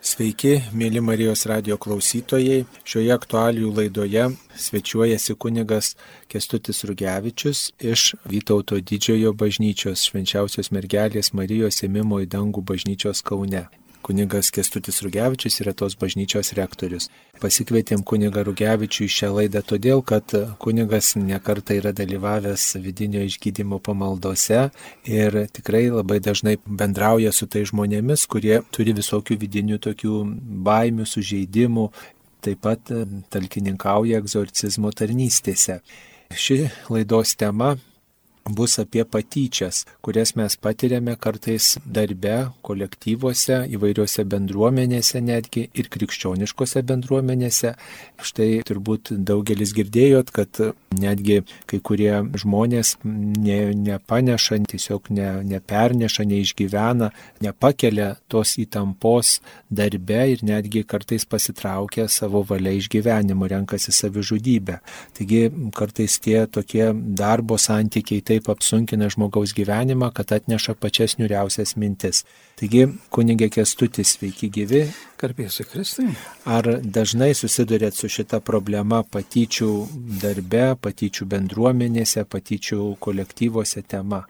Sveiki, mėly Marijos radijo klausytojai. Šioje aktualijų laidoje svečiuojasi kunigas Kęstutis Rugevičius iš Vytauto Didžiojo bažnyčios Švenčiausios Mergelės Marijos Ėmimo į dangų bažnyčios Kaune. Kunigas Kęstutis Rugevičius yra tos bažnyčios rektorius. Pasikvietėm kunigą Rugevičių į šią laidą todėl, kad kunigas nekartą yra dalyvavęs vidinio išgydymo pamaldose ir tikrai labai dažnai bendrauja su tai žmonėmis, kurie turi visokių vidinių tokių baimių, sužeidimų, taip pat talkininkauja egzorcizmo tarnystėse. Ši laidos tema bus apie patyčias, kurias mes patiriame kartais darbe, kolektyvuose, įvairiuose bendruomenėse netgi ir krikščioniškose bendruomenėse. Štai turbūt daugelis girdėjot, kad netgi kai kurie žmonės nepaneša, tiesiog neperneša, neišgyvena, nepakelia tos įtampos darbe ir netgi kartais pasitraukia savo valia iš gyvenimo, renkasi savižudybę. Taigi kartais tie tokie darbo santykiai taip apsunkina žmogaus gyvenimą, kad atneša pačias niūriausias mintis. Taigi, kunigė Kęstutis, sveiki gyvi. Garbės Kristui. Ar dažnai susidurėt su šita problema patyčių darbe, patyčių bendruomenėse, patyčių kolektyvuose tema?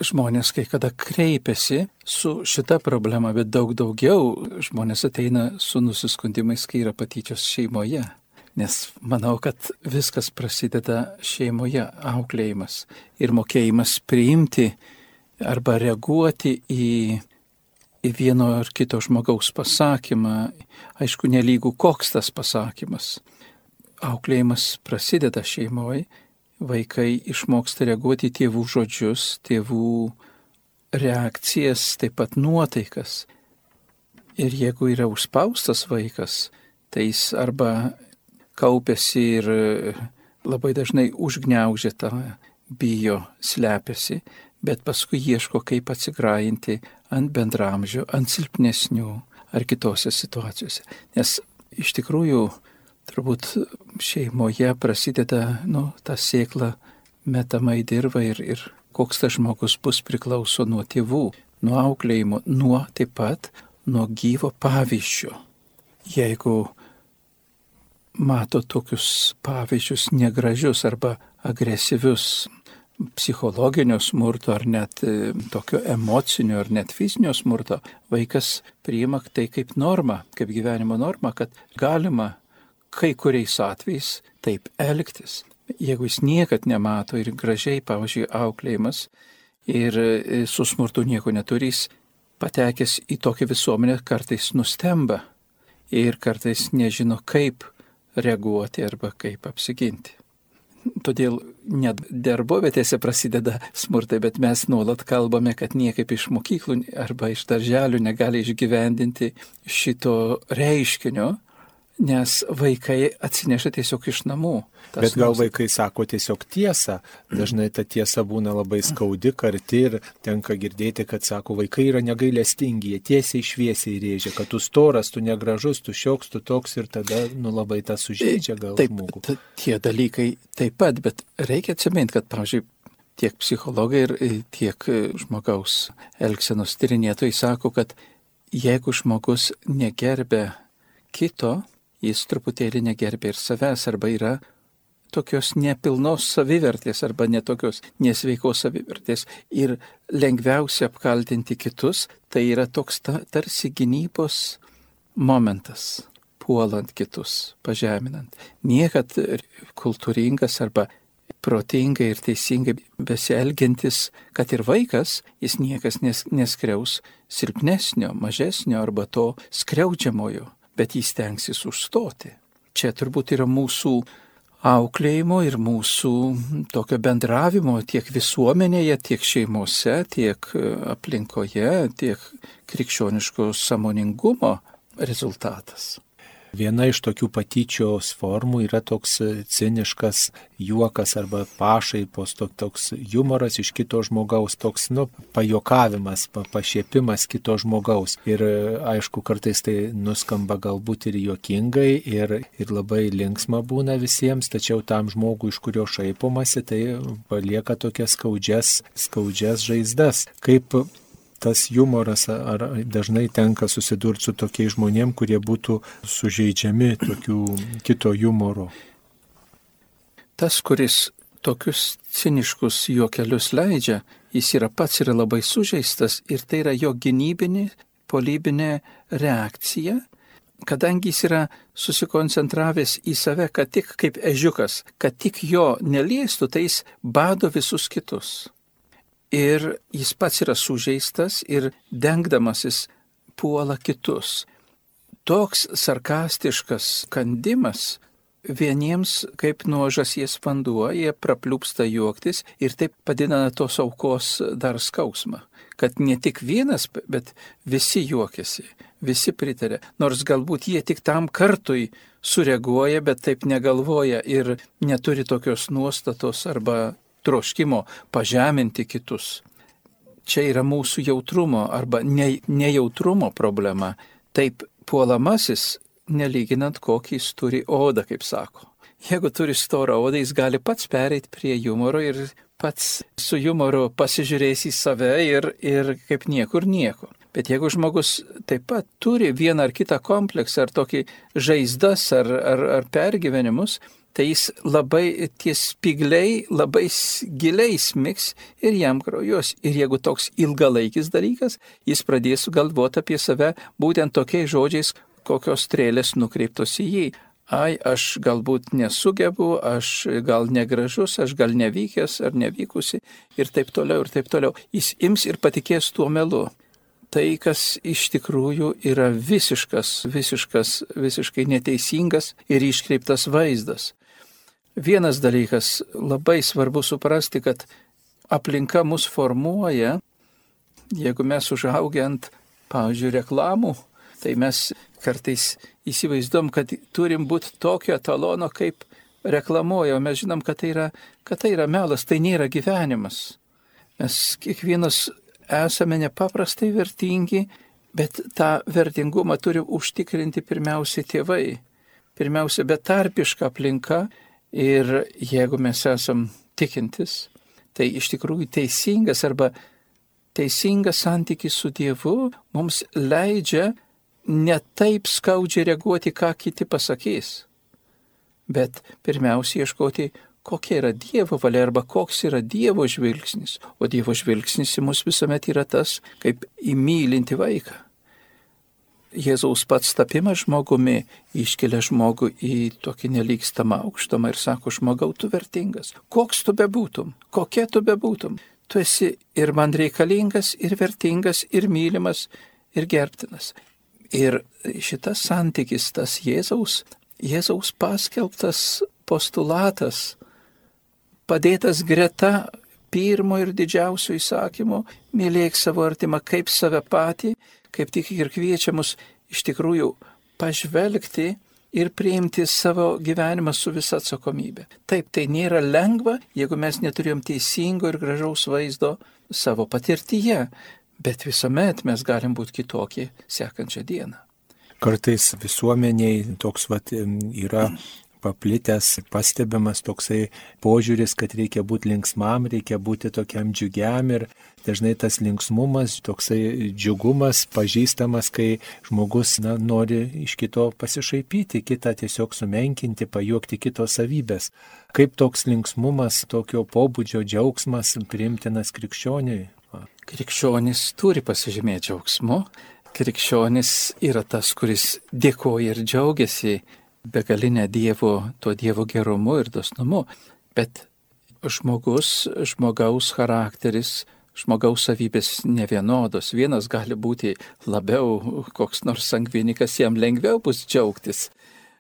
Žmonės kai kada kreipiasi su šita problema, bet daug daugiau žmonės ateina su nusiskundimais, kai yra patyčios šeimoje. Nes manau, kad viskas prasideda šeimoje, auklėjimas ir mokėjimas priimti arba reaguoti į vieno ar kito žmogaus pasakymą. Aišku, nelygų koks tas pasakymas. Auklėjimas prasideda šeimoje, vaikai išmoksta reaguoti į tėvų žodžius, tėvų reakcijas, taip pat nuotaikas. Ir jeigu yra užspaustas vaikas, tai jis arba kaupiasi ir labai dažnai užgniaužia tą, bijo, slepiasi, bet paskui ieško, kaip atsigrajinti ant bendramžių, ant silpnesnių ar kitose situacijose. Nes iš tikrųjų turbūt šeimoje prasideda ta sėkla metama į dirvą ir koks tas žmogus bus priklauso nuo tėvų, nuo auklėjimo, taip pat nuo gyvo pavyzdžio. Jeigu mato tokius pavyzdžius negražius arba agresyvius psichologinio smurto ar net tokio emocinio ar net fizinio smurto, vaikas priima tai kaip normą, kaip gyvenimo normą, kad galima kai kuriais atvejais taip elgtis. Jeigu jis niekad nemato ir gražiai, pavyzdžiui, auklėjimas ir su smurtu nieko neturys, patekęs į tokią visuomenę kartais nustemba ir kartais nežino, kaip reaguoti arba kaip apsiginti. Todėl net darbovietėse prasideda smurtai, bet mes nuolat kalbame, kad niekaip iš mokyklų arba iš darželių negali išgyvendinti šito reiškinio, nes vaikai atsineša tiesiog iš namų. Bet gal vaikai sako tiesiog tiesą. Dažnai ta tiesa būna labai skaudi, karti ir tenka girdėti, kad sako, vaikai yra negailestingi, jie tiesiai šviesiai rėžia, kad tu storas, tu negražus, tu šioks, tu toks ir tada labai tas sužeidžia gal žmogų. Taip, tie dalykai taip pat, bet reikia atsiminti, kad, pavyzdžiui, tiek psichologai ir tiek žmogaus elgsenos tyrinėtojai sako, kad jeigu žmogus negerbia kito, jis truputėlį negerbia ir savęs, arba yra tokios nepilnos savivertės, arba netokios nesveikos savivertės. Ir lengviausia apkaltinti kitus, tai yra toks tarsi gynybos momentas, puolant kitus, pažeminant. Niekad kultūringas arba protingai ir teisingai besielgiantis, kad ir vaikas, jis niekas neskriaus silpnesnio, mažesnio arba to skriaudžiamojo, bet jis stengsis užstoti. Čia turbūt yra mūsų auklėjimo ir mūsų tokio bendravimo tiek visuomenėje, tiek šeimose, tiek aplinkoje, tiek krikščioniško sąmoningumo rezultatas. Viena iš tokių patyčios formų yra toks ciniškas juokas arba pašaipos, toks humoras iš kito žmogaus, toks pajuokavimas, pašiepimas kito žmogaus. Ir aišku, kartais tai nuskamba galbūt ir juokingai ir labai linksma būna visiems, tačiau tam žmogui, iš kurio šaipomasi, tai palieka tokias skaudžias žaizdas. Kaip tas humoras, ar dažnai tenka susidurti su tokiais žmonėm, kurie būtų sužeidžiami tokių kito humoro? Tas, kuris tokius ciniškus juokelius leidžia, jis pats yra labai sužeistas ir tai yra jo gynybinė, polybinė reakcija, kadangi jis yra susikoncentravęs į save, kad tik kaip ežiukas, kad tik jo neliestų, tai jis bado visus kitus. Ir jis pats yra sužeistas ir dengdamasis puola kitus. Toks sarkastiškas kandimas vieniems kaip nuo žąsies vanduo, jie prapliupsta juoktis ir taip padidina tos aukos dar skausmą. Kad ne tik vienas, bet visi juokiasi, visi pritarė. Nors galbūt jie tik tam kartui sureaguoja, bet taip negalvoja ir neturi tokios nuostatos arba troškimo pažeminti kitus. Čia yra mūsų jautrumo arba nejautrumo problema. Taip puolamasis, nelyginant kokį jis turi odą, kaip sako. Jeigu turi storą odą, jis gali pats pereiti prie humoro ir pats su humoru pasižiūrės į save ir kaip niekur nieko. Bet jeigu žmogus taip pat turi vieną ar kitą kompleksą, ar tokį žaizdas, ar pergyvenimus, tai jis labai tie spygliai labai giliai smigs ir jam kraujuos. Ir jeigu toks ilgalaikis dalykas, jis pradės galvoti apie save būtent tokiais žodžiais, kokios strėlės nukreiptos į jį. Ai, aš galbūt nesugebu, aš gal negražus, aš gal nevykęs ar nevykusi ir taip toliau, ir taip toliau. Jis ims ir patikės tuo melu. Tai, kas iš tikrųjų yra visiškai neteisingas ir iškreiptas vaizdas. Vienas dalykas labai svarbu suprasti, kad aplinka mus formuoja, jeigu mes užaugę ant, pavyzdžiui, reklamų, tai mes kartais įsivaizduom, kad turim būti tokio etalono, kaip reklamuoja, o mes žinom, kad tai yra melas, tai nėra gyvenimas. Mes kiekvienas esame nepaprastai vertingi, bet tą vertingumą turi užtikrinti pirmiausia tėvai, pirmiausia betarpiška aplinka ir jeigu mes esam tikintis, tai iš tikrųjų teisingas santykis su Dievu mums leidžia ne taip skaudžiai reaguoti, ką kiti pasakys, bet pirmiausia ieškoti, kokia yra Dievo valia arba koks yra Dievo žvilgsnis. O Dievo žvilgsnis į mus visuomet yra tas, kaip į mylintį vaiką. Jėzaus pats tapimas žmogumi iškelia žmogų į tokį nelygstamą aukštumą ir sako, žmogau, tu vertingas. Koks tu bebūtum, kokia tu bebūtum. Tu esi ir man reikalingas, ir vertingas, ir mylimas, ir gerbtinas. Ir šitas santykis, tas Jėzaus paskelbtas postulatas, padėtas greta pirmo ir didžiausio įsakymo, mylėk savo artimą kaip save patį, kaip tik ir kviečia mus iš tikrųjų pažvelgti ir priimti savo gyvenimą su visa atsakomybė. Taip, tai nėra lengva, jeigu mes neturėjom teisingo ir gražaus vaizdo savo patirtyje, bet visuomet mes galim būti kitokie sekančią dieną. Kartais visuomeniai toks yra paplitęs, pastebimas toksai požiūris, kad reikia būti linksmam, reikia būti tokiam džiugiam ir dažnai tas linksmumas, toksai džiugumas pažįstamas, kai žmogus nori iš kito pasišaipyti, kitą tiesiog sumenkinti, pajuokti kito savybės. Kaip toks linksmumas, tokio pobūdžio džiaugsmas priimtinas krikščioniui? Krikščionis turi pasižymėti džiaugsmu. Krikščionis yra tas, kuris dėkoja ir džiaugiasi begalinę to Dievo gerumu ir dosnumu. Bet žmogaus charakteris, žmogaus savybės nevienodos. Vienas gali būti labiau koks nors sangvinikas, jam lengviau bus džiaugtis.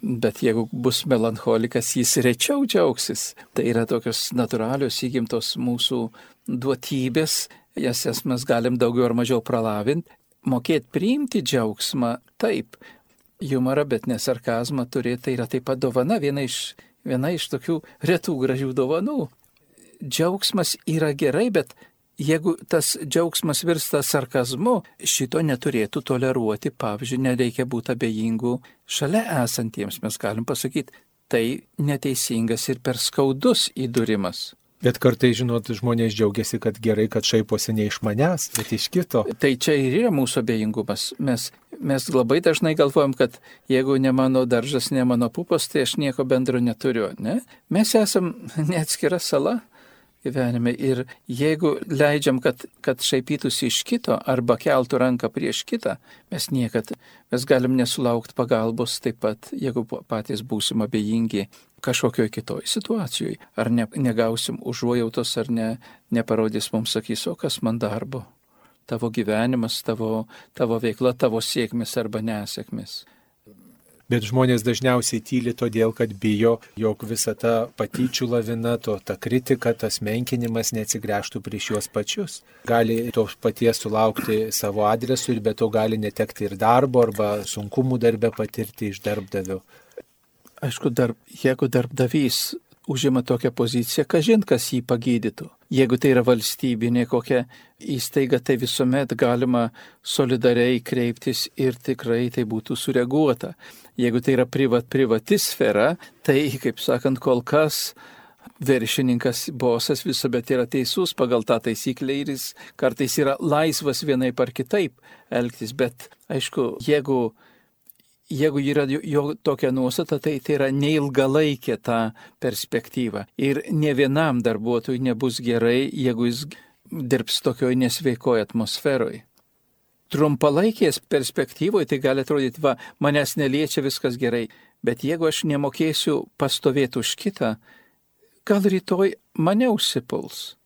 Bet jeigu bus melancholikas, jis rečiau džiaugsis. Tai yra tokios natūralios įgimtos mūsų duotybės, jas mes galim daugiau ar mažiau pralavinti. Mokėti priimti džiaugsmą taip, humorą, bet ne sarkazmą turėti, tai yra taip pat dovana, viena iš tokių retų gražių dovanų. Džiaugsmas yra gerai, bet jeigu tas džiaugsmas virsta sarkazmu, šito neturėtų toleruoti, pavyzdžiui, nereikia būti abejingų šalia esantiems, mes galim pasakyti, tai neteisingas ir per skaudus įdūrimas. Bet kartai, žinot, žmonės džiaugiasi, kad gerai, kad šaiposi ne iš manęs, bet iš kito. Tai čia ir yra mūsų abejingumas. Mes labai dažnai galvojam, kad jeigu ne mano daržas, ne mano pupas, tai aš nieko bendro neturiu. Ne? Mes esam neatskira sala gyvenime ir jeigu leidžiam, kad šaipytųsi iš kito arba keltų ranką prieš kitą, mes galim nesulaukti pagalbos taip pat, jeigu patys būsim abejingi kažkokioj kitoj situacijoje. Ar negausim užuojautos, ar neparodys mums, sakys, o kas man darbo? Tavo gyvenimas, tavo veikla, tavo sėkmės arba nesėkmės. Bet žmonės dažniausiai tyli todėl, kad bijo, jog visa ta patyčių lavina, ta kritika, tas menkinimas neatsigręžtų prieš juos pačius. Gali to paties sulaukti savo adresu ir be to gali netekti ir darbo arba sunkumų darbe patirti iš darbdavio. Aišku, jeigu darbdavys užima tokią poziciją, kažin kas jį pagydytų. Jeigu tai yra valstybinė kokia įstaiga, tai visuomet galima solidariai kreiptis ir tikrai tai būtų sureaguota. Jeigu tai yra privati sfera, tai, kaip sakant, kol kas viršininkas, bosas visuomet yra teisus pagal tą taisyklę ir jis kartais yra laisvas vienaip ar kitaip elgtis. Bet, aišku, jeigu yra jo tokia nuostata, tai yra neilgalaikė ta perspektyva. Ir ne vienam darbuotojui nebus gerai, jeigu jis dirbs tokioj nesveikoje atmosferoje. Trumpalaikės perspektyvoje tai gali atrodyti, manęs neliečia, viskas gerai. Bet jeigu aš nemokėsiu pastovėti už kitą, gal rytoj mane užsipuls.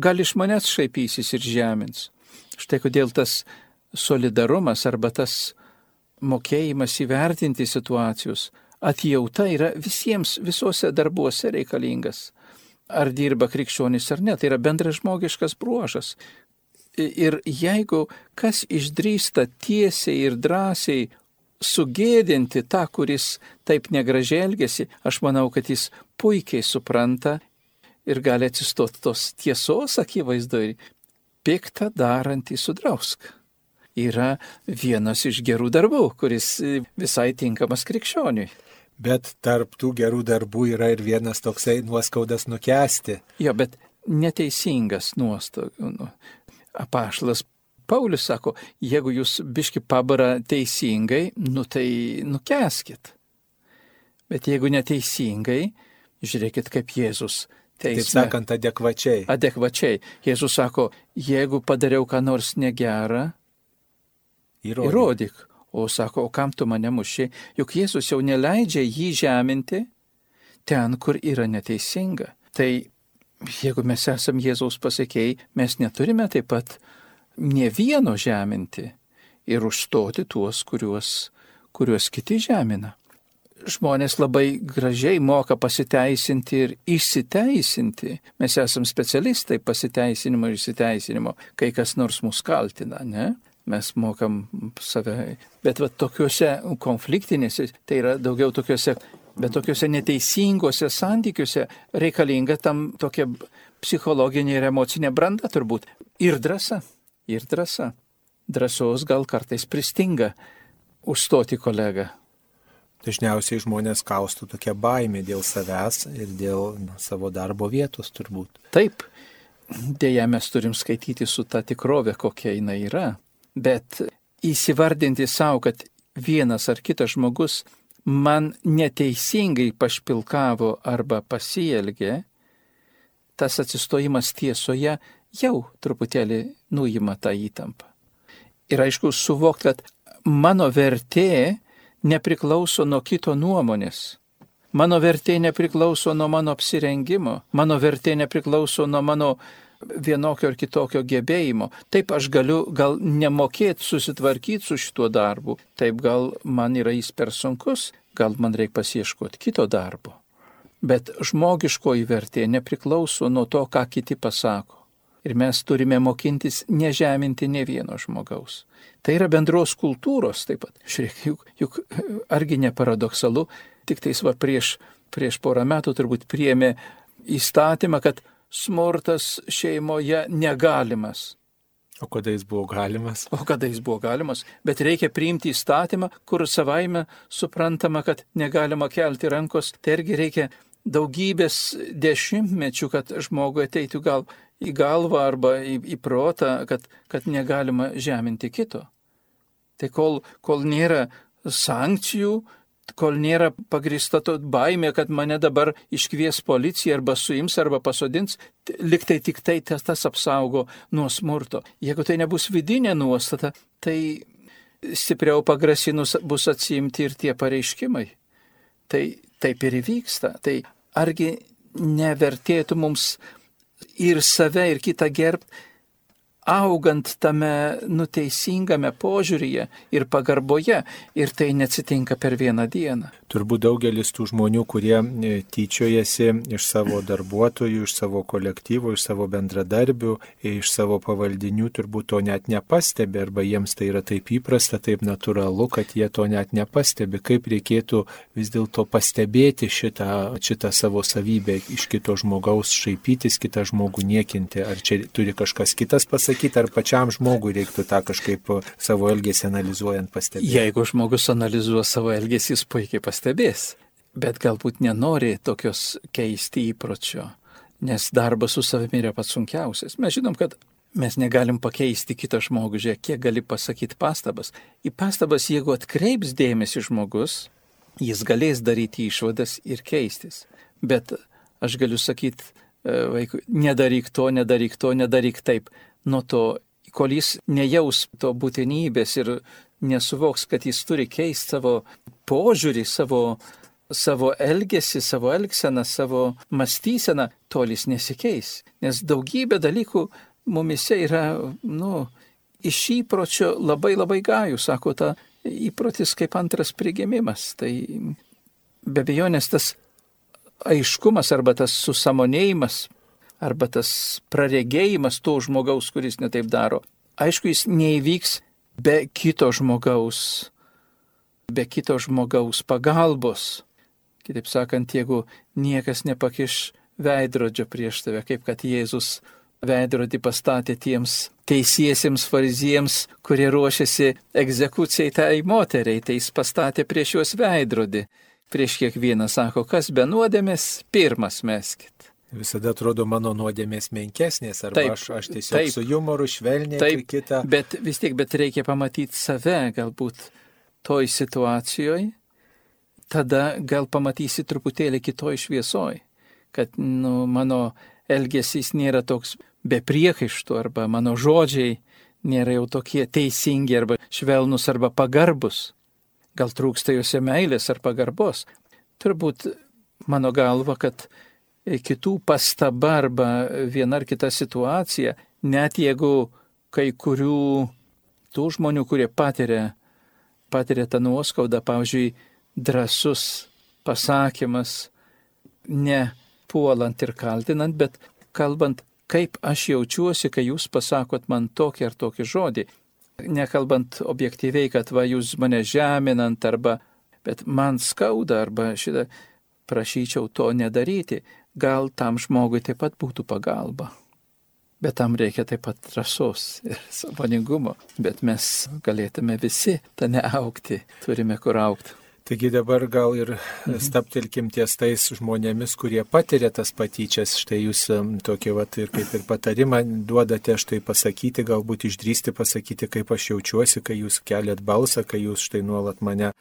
Gal iš manęs šaipysis ir žemins. Štai kodėl tas solidarumas arba tas mokėjimas įvertinti situacijos, atjauta yra visiems, visuose darbuose reikalingas. Ar dirba krikščionis ar ne, tai yra bendražmogiškas bruožas. Ir jeigu kas išdrįsta tiesiai ir drąsiai sugėdinti tą, kuris taip negražiai elgesi, aš manau, kad jis puikiai supranta ir gali atsistoti tos tiesos akivaizdoje. Piktą darantį sudrausk yra vienas iš gerų darbų, kuris visai tinkamas krikščioniui. Bet tarp tų gerų darbų yra ir vienas toksai nuoskaudas nukęsti. Jo, bet neteisingas nuoskaudas. Apaštalas Paulius sako, jeigu jūs biški pabara teisingai, tai nukęskit. Bet jeigu neteisingai, žiūrėkit kaip Jėzus teisme. Taip sakant, adekvačiai. Adekvačiai. Jėzus sako, jeigu padariau ką nors negerą, įrodyk. O sako, o kam tu mane muši? Juk Jėzus jau neleidžia jį žeminti ten, kur yra neteisinga. Tai jeigu mes esam Jėzaus pasekėjai, mes neturime taip pat ne vieno žeminti ir užstoti tuos, kuriuos kiti žemina. Žmonės labai gražiai moka pasiteisinti ir išsiteisinti. Mes esam specialistai pasiteisinimo ir išsiteisinimo, kai kas nors mus kaltina, ne? Mes mokam save, bet tokiuose konfliktinėse, tai yra daugiau tokiuose neteisingose santykiuose reikalinga tam tokia psichologinė ir emocinė branda turbūt. Ir drąsa. Drąsos gal kartais pristinga užstoti kolegą. Dažniausiai žmonės kaustų tokia baimė dėl savęs ir dėl savo darbo vietos turbūt. Taip, dėja mes turim skaityti su ta tikrovė, kokia jinai yra. Bet įsivardinti savo, kad vienas ar kitas žmogus man neteisingai pašpilkavo arba pasielgė, tas atsistojimas tiesoje jau truputėlį nuima tą įtampą. Ir aišku, suvokti, kad mano vertė nepriklauso nuo kito nuomonės. Mano vertė nepriklauso nuo mano apsirengimo. Mano vertė nepriklauso nuo mano vienokio ar kitokio gebėjimo. Taip aš galiu gal nemokėti susitvarkyti su šituo darbu. Taip gal man yra jis per sunkus, gal man reikia pasieškoti kito darbo. Bet žmogiškoji vertė nepriklauso nuo to, ką kiti pasako. Ir mes turime mokintis nežeminti ne vieno žmogaus. Tai yra bendros kultūros taip pat. Žiūrėk, juk argi ne paradoksalu, tik tais prieš porą metų turbūt priėmė įstatymą, kad smurtas šeimoje negalimas. O kada jis buvo galimas? Bet reikia priimti įstatymą, kur savaime suprantama, kad negalima kelti rankos. Tai irgi reikia daugybės dešimtmečių, kad žmogui ateitų gal į galvą arba į protą, kad negalima žeminti kito. Tai kol nėra sankcijų, kol nėra pagrįsta to baimė, kad mane dabar iškvies policija arba suims arba pasodins, liktai tik tai tas apsaugo nuo smurto. Jeigu tai nebus vidinė nuostata, tai stipriau pagrasinus bus atsiimti ir tie pareiškimai. Tai taip ir įvyksta. Tai argi nevertėtų mums ir save, ir kitą gerbti, augant tame nuteisingame požiūryje ir pagarboje, ir tai neatsitinka per vieną dieną. Turbūt daugelis tų žmonių, kurie tyčiojasi iš savo darbuotojų, iš savo kolektyvų, iš savo bendradarbių, iš savo pavaldinių, turbūt to net nepastebi, arba jiems tai yra taip įprasta, taip natūralu, kad jie to net nepastebi. Kaip reikėtų vis dėlto pastebėti šitą savo savybę iš kito žmogaus, šaipytis, kitą žmogų niekinti? Ar čia turi kažkas kitas pasakyti, ar pačiam žmogui reiktų tą kažkaip savo elgesį analizuojant pastebėti? Jeigu žmogus analizuos savo elgesį, jis puikiai pastebės, bet galbūt nenori tokios keisti įpročio, nes darbas su savimi yra pats sunkiausias. Mes žinom, kad mes negalim pakeisti kitą žmogų, žiūrėk, kiek gali pasakyti pastabas. Į pastabas, jeigu atkreips dėmesį žmogus, jis galės daryti išvadas ir keistis. Bet aš galiu sakyti vaikui, nedaryk to, nedaryk taip. Nuo to, kol jis nejaus to būtinybės ir nesuvoks, kad jis turi keisti savo požiūrį, savo elgesį, savo elgseną, savo mąstyseną, tol jis nesikeis. Nes daugybė dalykų mumise yra, iš įpročio labai labai gajų, sako, ta įprotis kaip antras prigimimas. Tai be abejonės tas aiškumas arba tas susamonėjimas, arba tas praregėjimas to žmogaus, kuris netaip daro. Aišku, jis neįvyks be kito žmogaus pagalbos. Kitaip sakant, jeigu niekas nepakiš veidrodžio prieš tave, kaip kad Jėzus veidrodį pastatė tiems teisiesiems fariziems, kurie ruošiasi egzekucijai tai moteriai, tai jis pastatė prieš juos veidrodį. Prieš kiekvieną sako, kas be nuodėmės, pirmas meskit. Visada atrodo mano nuodėmės menkesnės, arba taip, aš tiesiog su jumoru švelniai ir kitą. Bet vis tiek, reikia pamatyti save galbūt toj situacijoje, tada gal pamatysi truputėlį kitoj šviesoj, kad mano elgesys nėra toks be priekaištų, arba mano žodžiai nėra jau tokie teisingi, arba švelnus, arba pagarbus. Gal trūksta juose meilės ar pagarbos. Turbūt mano galva, kad kitų pastaba arba viena ar kita situacija, net jeigu kai kurių tų žmonių, kurie patiria tą nuoskaudą, pavyzdžiui, drąsus pasakymas, ne puolant ir kaltinant, bet kalbant, kaip aš jaučiuosi, kai jūs pasakot man tokį ar tokį žodį. Nekalbant objektyviai, kad va jūs mane žeminant, bet man skauda, arba šitą prašyčiau to nedaryti. Gal tam žmogui taip pat būtų pagalba. Bet tam reikia taip pat drąsos ir sąmoningumo. Bet mes galėtume visi tame augti, turime kur augti. Taigi dabar gal ir stabtelkim ties tais žmonėmis, kurie patiria tas patyčias. Štai jūs tokį ir kaip ir patarimą duodate štai pasakyti, galbūt išdrįsti pasakyti, kaip aš jaučiuosi, kai jūs keliat balsą, kai jūs štai nuolat mane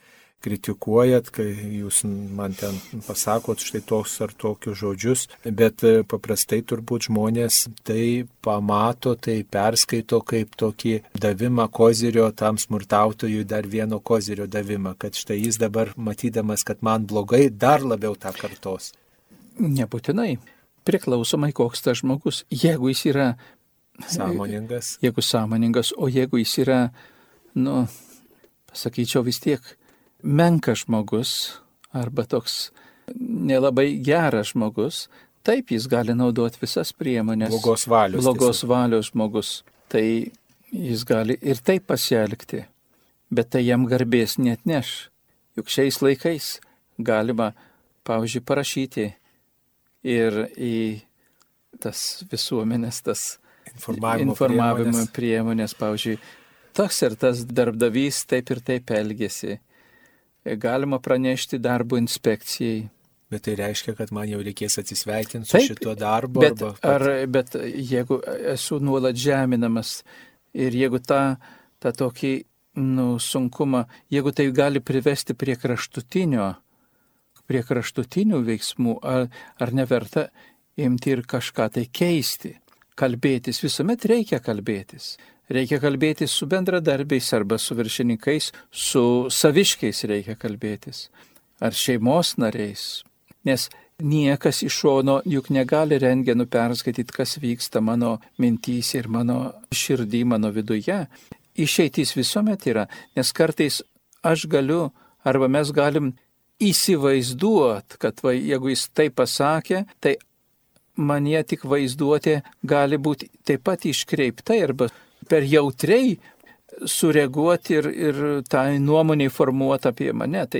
kritikuojat, kai jūs man ten pasakot štai toks ar tokius žodžius, bet paprastai turbūt žmonės tai pamato, tai perskaito kaip tokį davimą kozirio tam smurtautojui, dar vieno kozirio davimą, kad štai jis dabar matydamas, kad man blogai, dar labiau tą kartos. Nebūtinai. Priklausomai koks tas žmogus. Jeigu jis yra sąmoningas. O jeigu jis yra, pasakyčiau vis tiek, menkas žmogus arba toks nelabai geras žmogus, taip jis gali naudoti visas priemonės. Blogos valios žmogus. Tai jis gali ir taip pasielgti, bet tai jam garbės neatneš. Juk šiais laikais galima, pavyzdžiui, parašyti ir į tas visuomenės, tas informavimo priemonės, pavyzdžiui, tas ir tas darbdavys taip ir taip elgėsi. Galima pranešti darbo inspekcijai, Bet tai reiškia, kad man jau reikės atsisveikinti su šituo darbu. Bet jeigu esu nuolat žeminamas ir jeigu tą tokį sunkumą, jeigu tai gali privesti prie kraštutinių veiksmų, ar neverta imti ir kažką tai keisti, kalbėtis, visuomet reikia kalbėtis. Reikia kalbėtis su bendradarbiais arba su viršininkais, su saviškiais reikia kalbėtis, ar šeimos nariais. Nes niekas iš šono juk negali rentgenu perskaityti, kas vyksta mano mintys ir mano širdį, mano viduje. Išeitis visuomet yra, nes kartais aš galiu arba mes galim įsivaizduoti, kad jeigu jis tai pasakė, tai manie tik vaizduotė gali būti taip pat iškreipta arba per jautriai sureaguoti ir tą nuomonę formuoti apie mane.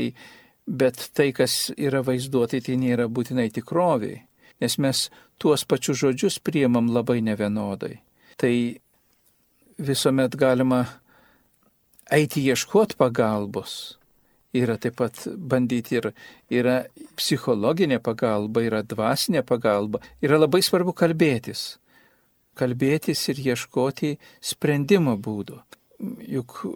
Bet tai, kas yra vaizduotai, tai nėra būtinai tikroviai, nes mes tuos pačius žodžius priimam labai nevienodai. Tai visuomet galima eiti ieškoti pagalbos. Yra taip pat bandyti yra psichologinė pagalba, yra dvasinė pagalba. Yra labai svarbu kalbėtis ir ieškoti sprendimo būdų. Juk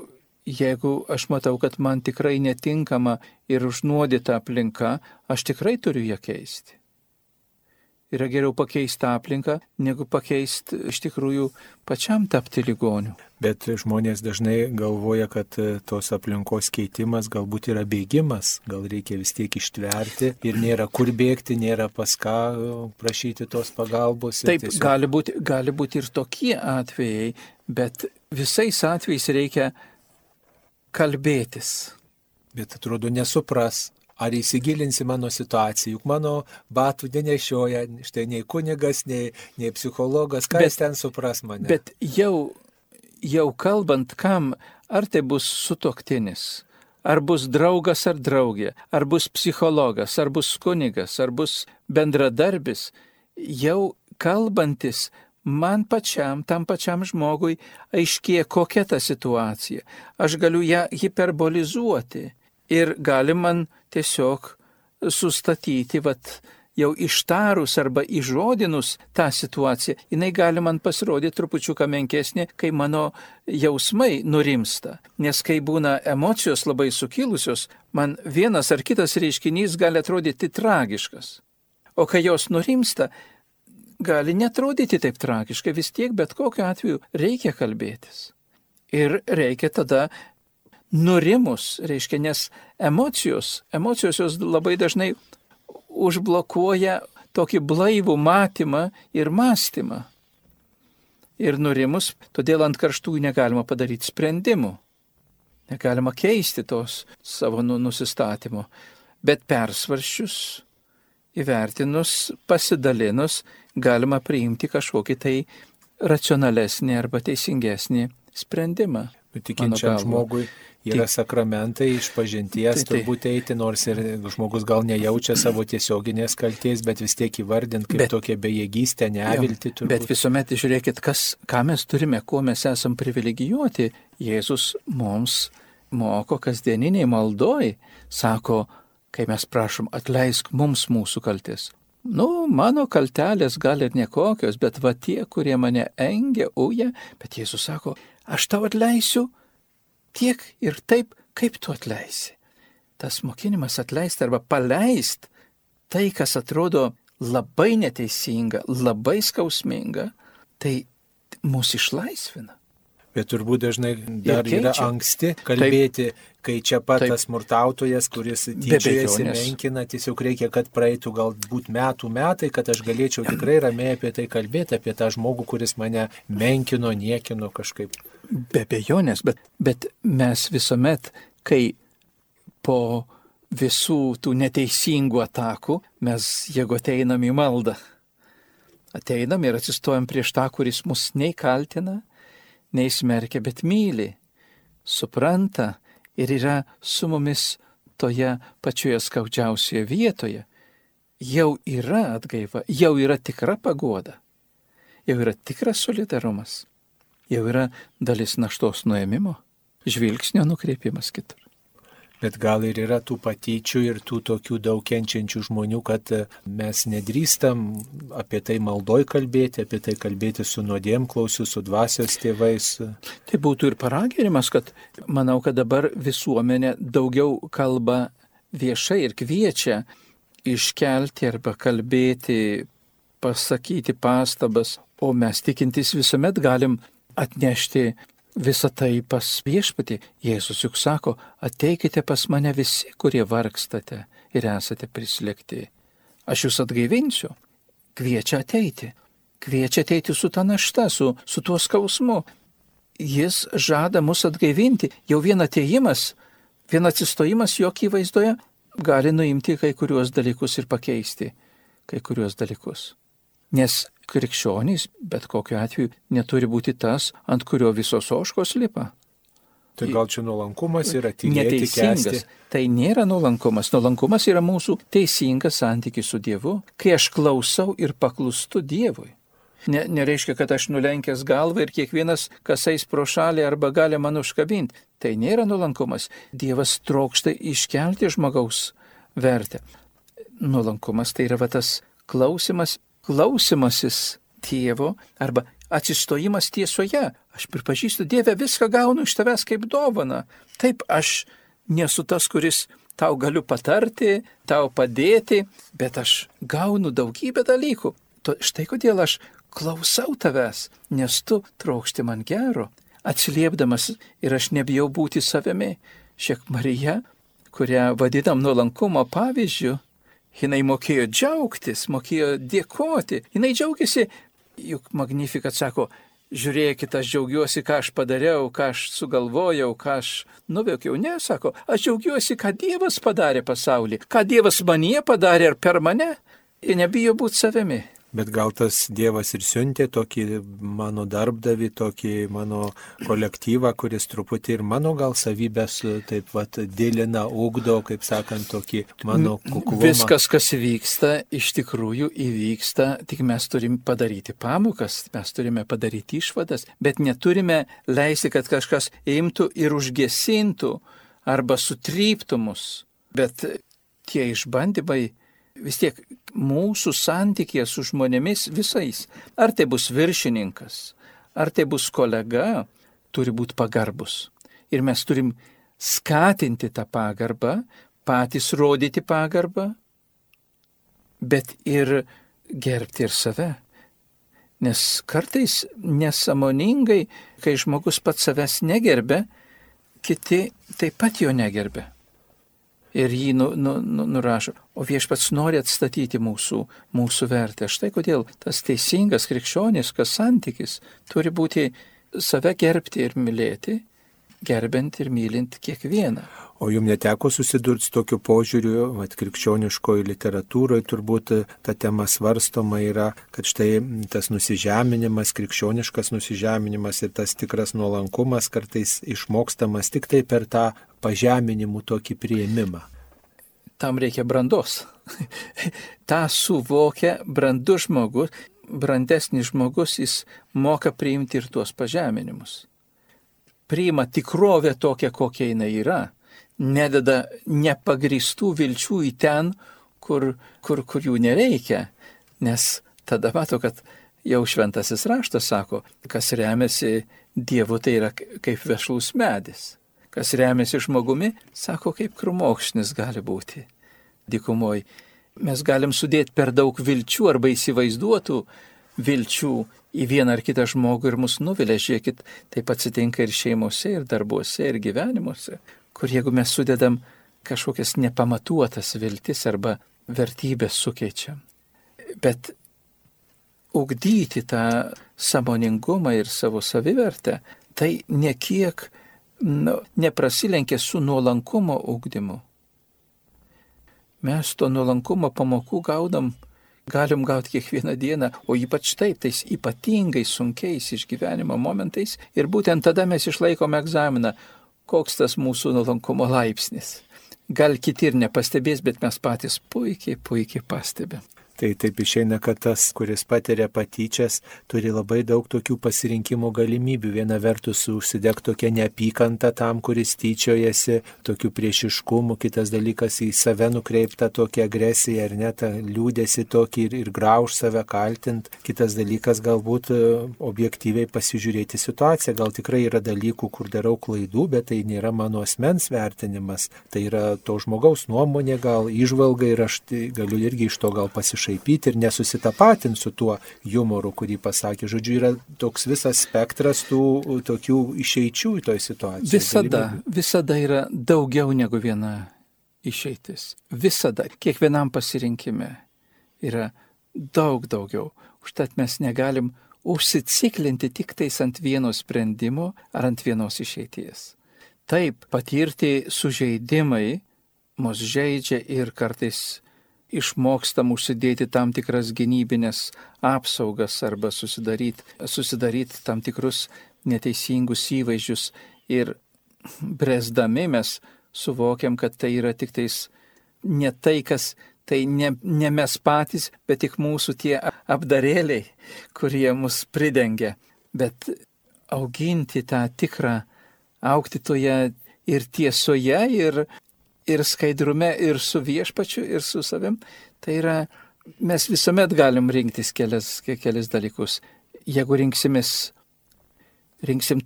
jeigu aš matau, kad man tikrai netinkama ir užnuodyta aplinka, aš tikrai turiu ją keisti. Yra geriau pakeisti aplinką, negu pakeisti iš tikrųjų pačiam tapti ligoniu. Bet žmonės dažnai galvoja, kad tos aplinkos keitimas galbūt yra bėgimas, gal reikia vis tiek ištverti ir nėra kur bėgti, nėra pas ką prašyti tos pagalbos. Taip, tiesiog... gali būti ir tokie atvejai, bet visais atvejais reikia kalbėtis. Bet atrodo nesupras. Ar įsigilinsi mano situaciją, juk mano batų nenešioja, štai nei kunigas, nei psichologas, ką jis ten supras mane. Bet jau kalbant kam, ar tai bus sutuoktinis, ar bus draugas ar draugė, ar bus psichologas, ar bus kunigas, ar bus bendradarbis, jau kalbantis man pačiam, tam pačiam žmogui aiškėja kokia ta situacija. Aš galiu ją hiperbolizuoti. Ir gali man tiesiog sustatyti, jau ištarus arba įžodinus tą situaciją, jinai gali man pasirodyti trupučiuką menkesnė, kai mano jausmai nurimsta. Nes kai būna emocijos labai sukilusios, man vienas ar kitas reiškinys gali atrodyti tragiškas. O kai jos nurimsta, gali netrodyti taip tragiškai, vis tiek bet kokiu atveju reikia kalbėtis. Ir reikia tada nurimus, reiškia, nes emocijos jos labai dažnai užblokuoja tokį blaivų matymą ir mąstymą. Ir nurimus, todėl ant karštųjų negalima padaryti sprendimų. Negalima keisti tos savo nusistatymo. Bet persvaršius, įvertinus, pasidalinus, galima priimti kažkokį tai racionalesnį arba teisingesnį sprendimą. Tikinčiam žmogui yra sakramentai išpažinties, turbūt eiti, nors ir žmogus gal nejaučia savo tiesioginės kaltės, bet vis tiek įvardint kaip tokia bejėgystė, nevilti. Bet visuomet žiūrėkit, ką mes turime, kuo mes esam privilegijuoti. Jėzus mums moko kasdieniniai maldoj, sako, kai mes prašom, atleisk mums mūsų kaltės. Mano kaltelės gal ir nekokios, bet tie, kurie mane engia, uja, bet Jėzus sako, aš tau atleisiu tiek ir taip, kaip tu atleisi. Tas mokinimas atleisti arba paleisti tai, kas atrodo labai neteisinga, labai skausminga, tai mus išlaisvina. Bet turbūt dažnai dar yra anksti kalbėti, kai čia pat tas smurtautojas, kuris tyčiojasi, menkina, tiesiog reikia, kad praeitų galbūt metai, kad aš galėčiau tikrai ramiai apie tai kalbėti, apie tą žmogų, kuris mane menkino, niekino kažkaip. Be abejonės, bet mes visuomet, kai po visų tų neteisingų atakų, mes jeigu ateinam į maldą, ateinam ir atsistojam prieš tą, kuris mus nei kaltina, nei smerkia, bet myli, supranta ir yra su mumis toje pačioje skaudžiausioje vietoje, jau yra atgaiva, jau yra tikra paguoda, jau yra tikras solidarumas, jau yra dalis naštos nuėmimo, žvilgsnio nukreipimas kitur. Bet gal ir yra tų patyčių ir tų tokių daug kenčiančių žmonių, kad mes nedrįstam apie tai maldoj kalbėti, apie tai kalbėti su nuodėmklausiu, su dvasios tėvais. Tai būtų ir paraginimas, kad manau, kad dabar visuomenė daugiau kalba viešai ir kviečia iškelti arba kalbėti, pasakyti pastabas, o mes tikintys visuomet galim atnešti visą tai pas viešpatį. Jėzus juk sako, ateikite pas mane visi, kurie vargstate ir esate prislėgti. Aš jūs atgaivinsiu. Kviečia ateiti su ta našta, su tuo skausmu. Jis žada mus atgaivinti. Jau vien atėjimas, vien atsistojimas jo akivaizdoje gali nuimti kai kuriuos dalykus ir pakeisti kai kuriuos dalykus. Nes krikščionys, bet kokiu atveju, neturi būti tas, ant kurio visos ožkos lipa. Tai gal čia nuolankumas yra tylėti, kęsti? Tai nėra nuolankumas. Nuolankumas yra mūsų teisingas santykis su Dievu, kai aš klausau ir paklūstu Dievui. Nereiškia, kad aš nulenkęs galvą ir kiekvienas, kas eis pro šalį arba gali man užkabinti. Tai nėra nuolankumas. Dievas trokšta iškelti žmogaus vertę. Nuolankumas tai yra tas klausimasis Tėvo arba atsistojimas tiesoje. Aš pripažįstu, Dieve, viską gaunu iš tavęs kaip dovaną. Taip, aš nesu tas, kuris tau galiu patarti, tau padėti, bet aš gaunu daugybę dalykų. Štai kodėl aš klausau tavęs, nes tu trokšti man gero. Atsiliepdamas ir aš nebijau būti savimi. Šiek Marija, kurią vadinam nuolankumo pavyzdžiu, jinai mokėjo džiaugtis, mokėjo dėkoti. Jinai džiaugiasi, juk Magnificat sako, žiūrėkit, aš džiaugiuosi, ką aš padariau, ką aš sugalvojau, ką aš nuveikiau. Ne, sako, aš džiaugiuosi, ką Dievas padarė pasaulį, ką Dievas manyje padarė ar per mane. Ir nebijo būti savimi. Bet gal tas Dievas ir siuntė tokį mano darbdavį, tokį mano kolektyvą, kuris truputį ir mano gal savybės taip vat dėlina, ugdo, kaip sakant, tokį mano kuklumą. Viskas, kas įvyksta, iš tikrųjų įvyksta, tik mes turime padaryti pamokas, mes turime padaryti išvadas, bet neturime leisti, kad kažkas imtų ir užgesintų arba sutryptų mus. Bet tie išbandymai vis tiek mūsų santykėje su žmonėmis visais, ar tai bus viršininkas, ar tai bus kolega, turi būti pagarbus. Ir mes turim skatinti tą pagarbą, patys rodyti pagarbą, bet ir gerbti ir save. Nes kartais nesąmoningai, kai žmogus pats savęs negerbia, kiti taip pat jo negerbia. Ir jį nurašo. O Viešpats nori atstatyti mūsų vertę. Štai kodėl tas teisingas krikščioniškas santykis turi būti save gerbti ir mylėti, gerbent ir mylint kiekvieną. O jums neteko susidurti su tokiu požiūriu, krikščioniškoje literatūroje turbūt ta tema svarstoma yra, kad štai tas nusižeminimas, krikščioniškas nusižeminimas ir tas tikras nuolankumas kartais išmokstamas tik tai per tą pažeminimų tokį priėmimą. Tam reikia brandos. Ta suvokia brandus žmogus, brandesnis žmogus, jis moka priimti ir tuos pažeminimus. Priima tikrovę tokią, kokia jinai yra. Nededa nepagristų vilčių į ten, kur jų nereikia. Nes tada mato, kad jau šventasis raštas sako, kas remiasi Dievu, tai yra kaip vešlus medis. Kas remiasi žmogumi, sako, kaip krūmokšnis gali būti dykumoj. Mes galim sudėti per daug vilčių arba įsivaizduotų vilčių į vieną ar kitą žmogų ir mus nuvilia. Žiūrėkit, taip atsitinka ir šeimose, ir darbuose, ir gyvenimuose, kur jeigu mes sudedam kažkokias nepamatuotas viltis arba vertybės sukeičiam. Bet ugdyti tą sąmoningumą ir savo savivertę, tai nekiek neprasilenkia su nuolankumo ugdymu. Mes to nuolankumo pamokų galim gauti kiekvieną dieną, o ypač taip, tais ypatingai sunkiais išgyvenimo momentais. Ir būtent tada mes išlaikome egzaminą, koks tas mūsų nuolankumo laipsnis. Gal kiti ir nepastebės, bet mes patys puikiai pastebim. Tai taip išeina, kad tas, kuris patiria patyčias, turi labai daug tokių pasirinkimo galimybių. Viena vertus užsidegti tokią neapykantą tam, kuris tyčiojasi, tokių priešiškumų, kitas dalykas į save nukreiptą tokią agresiją, ar net liūdėsi tokį ir grauž save kaltint. Kitas dalykas galbūt objektyviai pasižiūrėti situaciją. Gal tikrai yra dalykų, kur darau klaidų, bet tai nėra mano asmens vertinimas. Tai yra to žmogaus nuomonė, gal įžvalga ir aš galiu irgi iš to gal pasišaipyti ir nesusitapatinti su tuo jumoru, kurį pasakė. Žodžiu, yra toks visas spektras tų tokių išeičių į toj situacijoje. Visada yra daugiau negu viena išeitis. Visada, kiekvienam pasirinkime yra daug daugiau. Užtat mes negalim užsiciklinti tik tais ant vieno sprendimo ar ant vienos išeities. Taip, patirti sužeidimai mus žeidžia ir kartais išmokstam užsidėti tam tikras gynybinės apsaugas arba susidaryti tam tikrus neteisingus įvaizdžius ir bręsdami mes suvokiam, kad tai yra tik tais ne tai, kas, tai ne mes patys, bet tik mūsų tie apdarėliai, kurie mus pridengia. Bet auginti tą tikrą, augti toje ir tiesoje, ir skaidrume, ir su viešpačiu, ir su savim, tai yra, mes visuomet galim rinktis kelias dalykus. Jeigu rinksim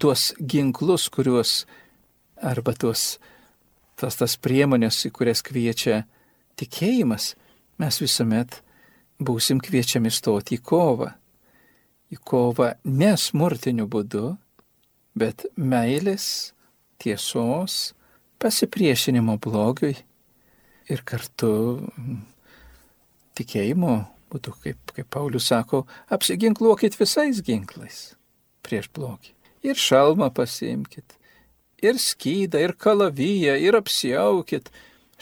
tuos ginklus, kuriuos, arba tas priemonės, į kurias kviečia tikėjimas, mes visuomet būsim kviečiami stoti į kovą. Į kovą ne smurtiniu būdu, bet meilės, tiesos, pasipriešinimo blogiui ir kartu tikėjimo būtų, kaip Paulius sako, apsiginkluokit visais ginklais prieš blogį. Ir šalmą pasiimkit, ir skydą, ir kalaviją, ir apsiaukit.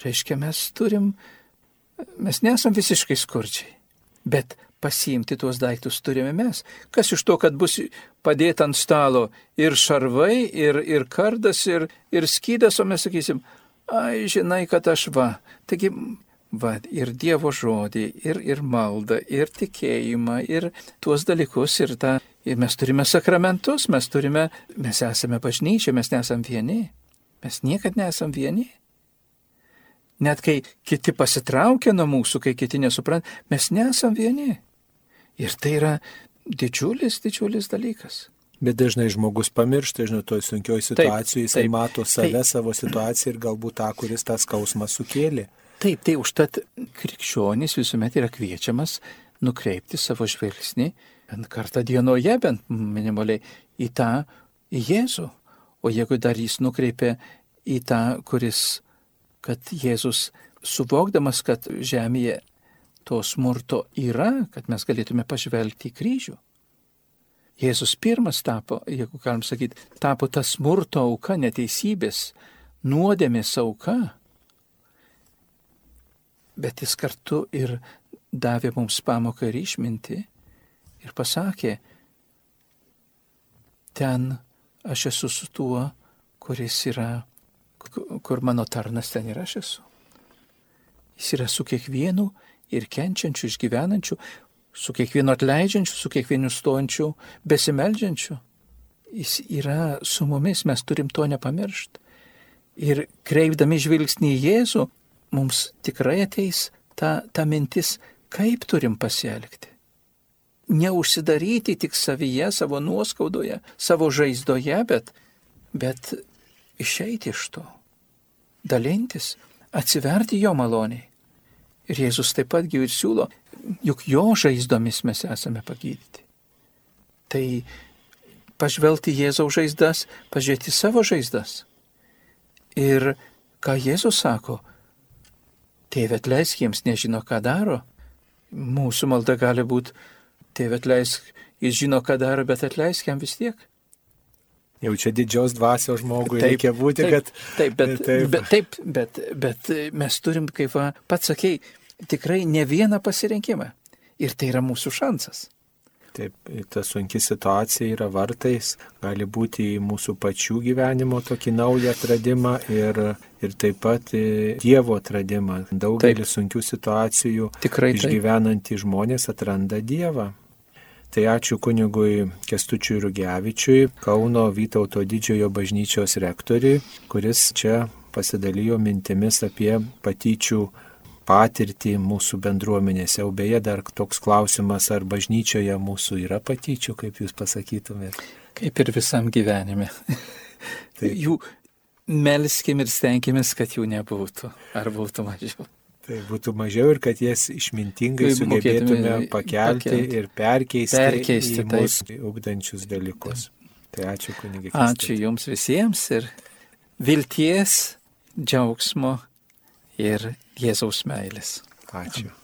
Reiškia, mes nesam visiškai skurdžiai, bet pasiimti tuos daiktus turime mes. Kas iš to, kad bus padėta ant stalo ir šarvai, ir kardas, ir skydas, o mes sakysim, ai, žinai, kad aš Taigi, ir Dievo žodį, ir maldą, ir tikėjimą, ir tuos dalykus, ir mes turime sakramentus, mes esame bažnyčia, mes nesam vieni. Mes niekad nesam vieni. Net kai kiti pasitraukia nuo mūsų, kai kiti nesupranta, mes nesam vieni. Ir tai yra didžiulis dalykas. Bet dažnai žmogus pamiršta, toj sunkioj situacijoje, jisai mato save, savo situaciją ir galbūt tą, kuris tą skausmą sukėlė. Taip, tai užtat krikščionis visuomet yra kviečiamas nukreipti savo žvilgsnį bent kartą dienoje, bent minimaliai, į Jėzų. O jeigu dar jis nukreipia į tą, kad Jėzus, suvokdamas, kad žemėje to smurto yra, kad mes galėtume pažvelgti į kryžių. Jėzus pirmas tapo, jeigu galim sakyti, tapo ta smurto auka, neteisybės, nuodėmės auka. Bet jis kartu ir davė mums pamoką ir išmintį ir pasakė, ten aš esu su tuo, kuris yra, kur mano tarnas, ten ir aš esu. Jis yra su kiekvienu ir kenčiančiu, išgyvenančiu, su kiekvienu atleidžiančiu, su kiekvienu stojančiu, besimeldžiančiu. Jis yra su mumis, mes turim to nepamiršti. Ir kreipdami žvilgsnį į Jėzų, mums tikrai ateis ta mintis, kaip turim pasielgti. Neužsidaryti tik savyje, savo nuoskaudoje, savo žaizdoje, bet išeiti iš to, dalintis, atsiverti jo maloniai. Ir Jėzus taip pat ir siūlo, juk jo žaizdomis mes esame pagydyti. Tai pažvelgti Jėzaus žaizdas, pažiūrėti savo žaizdas. Ir ką Jėzus sako, Tėve atleisk, jiems nežino, ką daro. Mūsų malda gali būti, Tėve atleisk, jis žino, ką daro, bet atleisk jam vis tiek. Jau čia didžios dvasios žmogui reikia būti, kad... Bet mes turim, kaip pats sakei, tikrai ne vieną pasirinkimą. Ir tai yra mūsų šansas. Taip, ta sunki situacija yra vartais, gali būti į mūsų pačių gyvenimo tokį naują atradimą ir taip pat Dievo atradimą. Daugelį sunkių situacijų išgyvenantys žmonės atranda Dievą. Tai ačiū kunigui Kęstučiui Rugevičiui, Kauno Vytauto Didžiojo bažnyčios rektoriui, kuris čia pasidalijo mintimis apie patyčių patirtį mūsų bendruomenėse. O beje, dar toks klausimas, ar bažnyčioje mūsų yra patyčių, kaip jūs pasakytumėte? Kaip ir visam gyvenime. Jų melskim ir stenkimės, kad jų nebūtų, ar būtų mažiau. Tai būtų mažiau ir kad jas išmintingai sugebėtume pakelti ir perkeisti į mūsų ugdančius dalykus. Tai ačiū kunigė Kęstuti. Ačiū jums visiems ir vilties, džiaugsmo ir Jėzaus meilės. Ačiū.